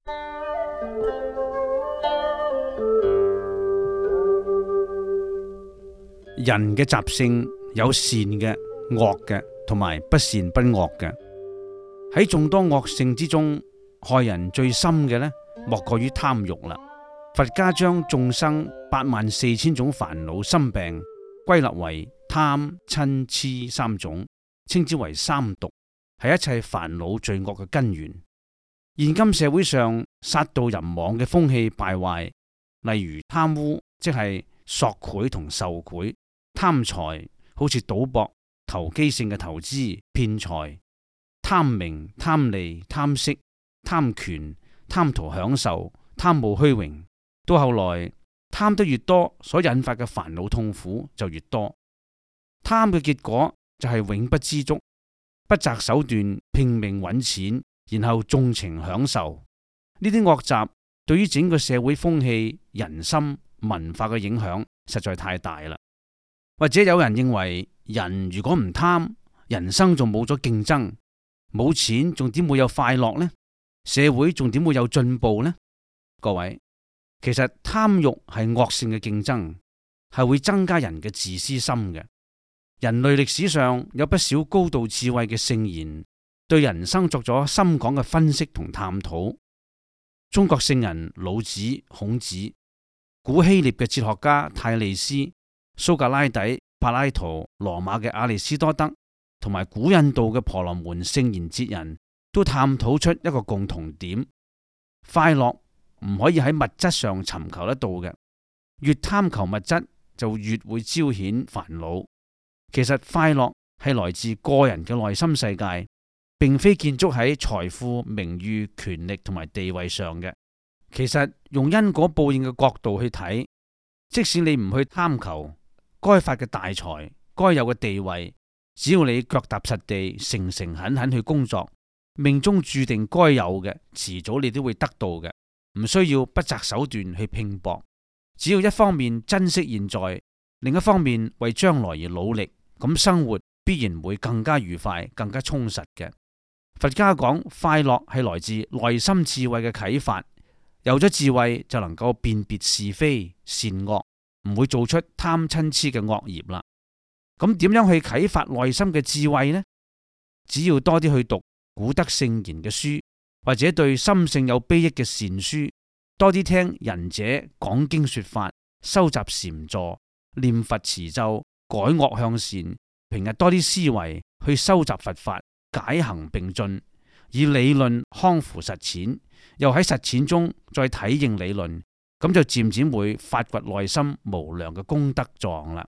人嘅習性有善嘅、惡嘅，同埋不善不惡嘅。喺眾多惡性之中，害人最深嘅呢，莫過於貪欲啦。佛家將眾生84000種煩惱心病歸納為貪、嗔、癡三種，稱之為三毒，係一切煩惱罪惡嘅根源。現今社會上殺盜淫妄嘅風氣敗壞，例如貪污，即係索賄同受賄；貪財，好似賭博、投機性嘅投資騙財；貪名、貪利、貪色、貪權、貪圖享受、貪慕虛榮。到後來貪得越多，所引發嘅煩惱痛苦就越多。貪嘅結果就係永不知足，不擇手段拼命揾錢，然後縱情享受。呢啲惡習對於整個社會風氣、人心、文化嘅影響實在太大啦。或者有人認為，人如果唔貪，人生仲冇咗競爭，冇錢仲點會有快樂呢？社會仲點會有進步呢？各位，其實貪欲係惡性嘅競爭，係會增加人嘅自私心嘅。人類歷史上有不少高度智慧嘅聖賢，對人生作咗深廣嘅分析同探討。中國聖人老子、孔子，古希臘嘅哲學家泰利斯、蘇格拉底、柏拉圖、羅馬嘅亞里斯多德，同埋古印度嘅婆羅門聖賢哲人，都探討出一個共同點：快樂唔可以喺物質上尋求得到嘅，越貪求物質就越會招顯煩惱。其實快樂係來自個人嘅內心世界，並非建築喺財富、名譽、權力同埋地位上嘅。其實用因果報應嘅角度去睇，即使你唔去貪求該發嘅大財、該有嘅地位，只要你腳踏實地、誠誠懇懇去工作，命中注定該有嘅，遲早你都會得到嘅，唔需要不擇手段去拼搏。只要一方面珍惜現在，另一方面為將來而努力，咁生活必然會更加愉快、更加充實嘅。佛家講快樂係來自內心智慧嘅啟發，有咗智慧就能夠辨別是非善惡，唔會做出貪嗔癡嘅惡業啦。咁點樣去啟發內心嘅智慧呢？只要多啲去讀古德聖賢嘅書，或者對心性有裨益嘅善書，多啲聽仁者講經說法，收集禪坐，念佛持咒，改惡向善，平日多啲思維去收集佛法，解行並進，以理論康輔實踐，又喺實踐中再體認理論，咁就漸漸會發掘內心無量嘅功德狀啦。